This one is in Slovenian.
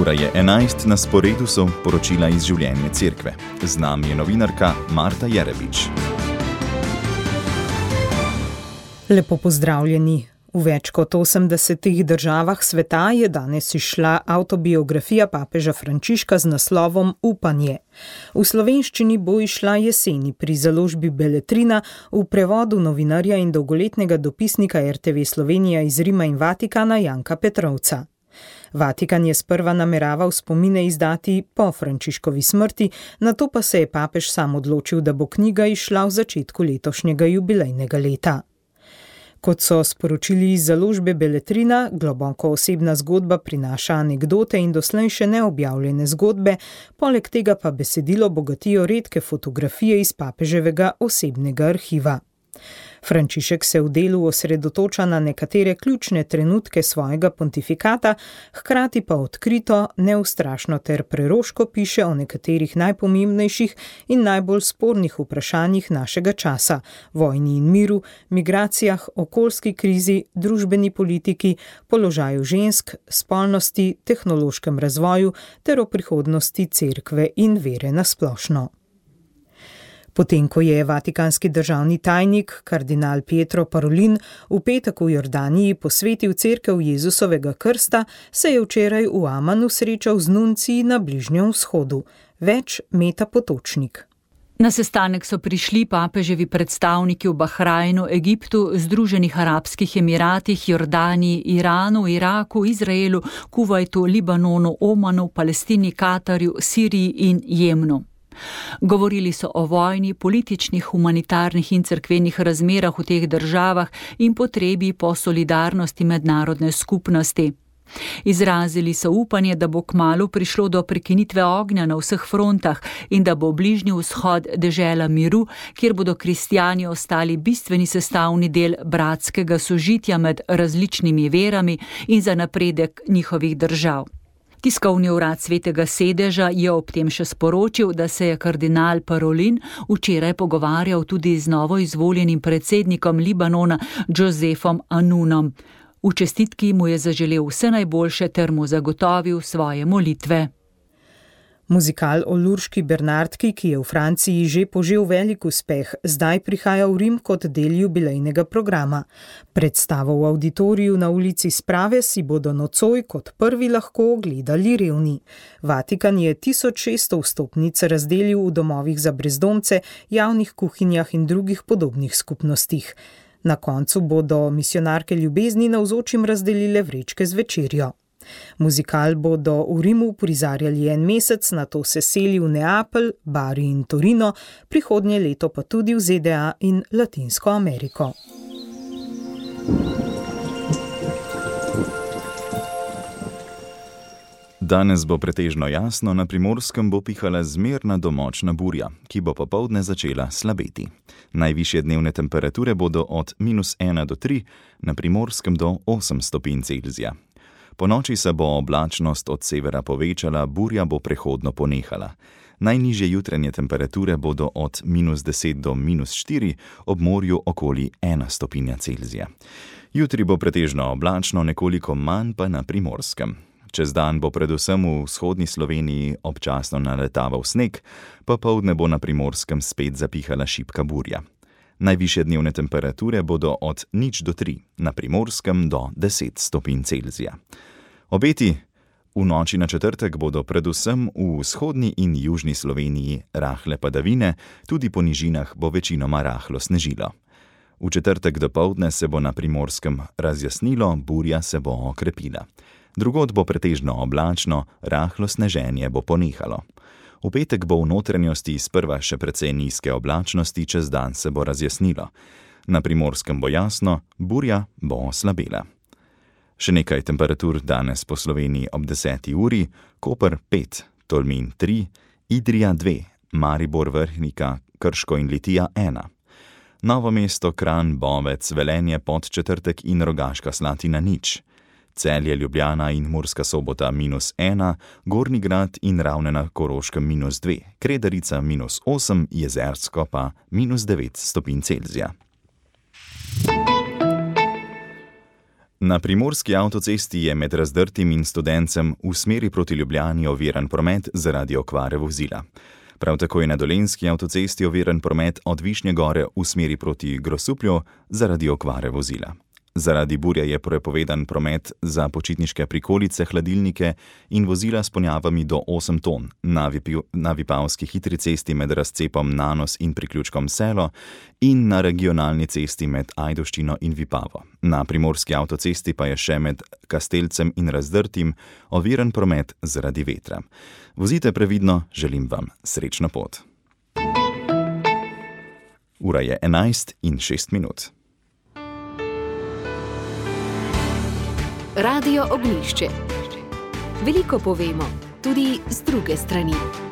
Ura je 11, na sporedu so poročila iz življenja cerkve. Z nami je novinarka Marta Jerebič. Lepo pozdravljeni. V več kot 80 državah sveta je danes izšla avtobiografija papeža Frančiška z naslovom Upanje. V slovenščini bo izšla jeseni pri založbi Beletrina v prevodu novinarja in dolgoletnega dopisnika RTV Slovenija iz Rima in Vatikana Janka Petrovca. Vatikan je sprva nameraval spomine izdati po Frančiškovi smrti, nato pa se je papež sam odločil, da bo knjiga izšla v začetku letošnjega jubilejnega leta. Kot so sporočili iz založbe Beletrina, globoko osebna zgodba prinaša anekdote in doslej še neobjavljene zgodbe, poleg tega pa besedilo bogatijo redke fotografije iz papeževega osebnega arhiva. Frančišek se v delu osredotoča na nekatere ključne trenutke svojega pontifikata, hkrati pa odkrito, neustrašno ter preroško piše o nekaterih najpomembnejših in najbolj spornih vprašanjih našega časa: vojni in miru, migracijah, okoljski krizi, družbeni politiki, položaju žensk, spolnosti, tehnološkem razvoju ter o prihodnosti cerkve in vere nasplošno. Potem, ko je vatikanski državni tajnik, kardinal Pietro Parolin, v petek v Jordaniji posvetil cerkev Jezusovega krsta, se je včeraj v Amanu srečal z nunciji na Bližnjem vzhodu. Več Meta Potočnik. Na sestanek so prišli papeževi predstavniki v Bahrajnu, Egiptu, Združenih arabskih emiratih, Jordaniji, Iranu, Iraku, Izraelu, Kuvajtu, Libanonu, Omanu, Palestini, Katarju, Siriji in Jemnu. Govorili so o vojni, političnih, humanitarnih in cerkvenih razmerah v teh državah in potrebi po solidarnosti mednarodne skupnosti. Izrazili so upanje, da bo kmalu prišlo do prekinitve ognja na vseh frontah in da bo Bližnji vzhod dežela miru, kjer bodo kristjani ostali bistveni sestavni del bratskega sožitja med različnimi verami in za napredek njihovih držav. Tiskovni urad Svetega sedeža je ob tem še sporočil, da se je kardinal Parolin včeraj pogovarjal tudi z novo izvoljenim predsednikom Libanona Josefom Anunom. V čestitki mu je zaželel vse najboljše ter mu zagotovil svoje molitve. Muzikal o Lurški Bernardki, ki je v Franciji že požel velik uspeh, zdaj prihaja v Rim kot del jubilejnega programa. Predstavo v avditoriju na ulici Sprave si bodo nocoj kot prvi lahko ogledali revni. Vatikan je 1600 vstopnic razdelil v domovih za brezdomce, javnih kuhinjah in drugih podobnih skupnostih. Na koncu bodo misijonarke ljubezni navzočim razdelile vrečke z večerjo. Muzikal bodo v Rimu prizarjali en mesec, nato se seli v Neapelj, Bari in Torino, prihodnje leto pa tudi v ZDA in Latinsko Ameriko. Danes bo pretežno jasno, na Primorskem bo pihala zmerna do močna burja, ki bo popoldne začela slabeti. Najvišje dnevne temperature bodo od -1 do 3, na Primorskem do 8 stopinj Celzija. Po noči se bo oblačnost od severa povečala, burja bo prehodno ponehala. Najnižje jutranje temperature bodo od -10 do -4, ob morju okoli 1 stopinja Celzija. Jutri bo pretežno oblačno, nekoliko manj pa na Primorskem. Čez dan bo predvsem v vzhodni Sloveniji občasno naletaval sneg, popoldne bo na Primorskem spet zapihala šibka burja. Najvišje dnevne temperature bodo od 0 do 3, na Primorskem do 10 stopinj Celzija. Obeti v noči na četrtek bodo predvsem v vzhodni in južni Sloveniji rahle padavine, tudi po nižinah bo večinoma rahlo snežilo. V četrtek dopoldne se bo na Primorskem razjasnilo, burja se bo okrepila. Drugod bo pretežno oblačno, rahlo sneženje bo ponehalo. V petek bo v notranjosti sprva še precej nizke oblačnosti, čez dan se bo razjasnilo. Na Primorskem bo jasno, burja bo oslabela. Še nekaj temperatur danes po Sloveniji ob 10. uri: Koper 5, Tolmin 3, Idrija 2, Maribor, Vrhnika, Krško in Litija 1. Novo mesto, Kranj, Bovec, Velenje, Podčetrtek in Rogaška Slatina 0. Celje, Ljubljana in Murska Sobota -1, Gornji Grad in Ravne na Koroškem -2, Kredarica -8, Jezersko pa -9 stopinj Celzija. Na primorski avtocesti je med Razdrtim in Studencem v smeri proti Ljubljani oviran promet zaradi okvare vozila. Prav tako je na dolenjski avtocesti oviran promet od Višnje Gore v smeri proti Grosuplju zaradi okvare vozila. Zaradi burje je prepovedan promet za počitniške prikolice, hladilnike in vozila s ponjavami do 8 ton na Vipavski hitri cesti med razcepom Nanos in priključkom Selo in na regionalni cesti med Ajdovščino in Vipavo. Na primorski avtocesti pa je še med Kastelcem in Razdrtim oviran promet zaradi vetra. Vozite previdno, želim vam srečno pot. Ura je 11:06. Radio Ognjišče. Veliko povemo, tudi z druge strani.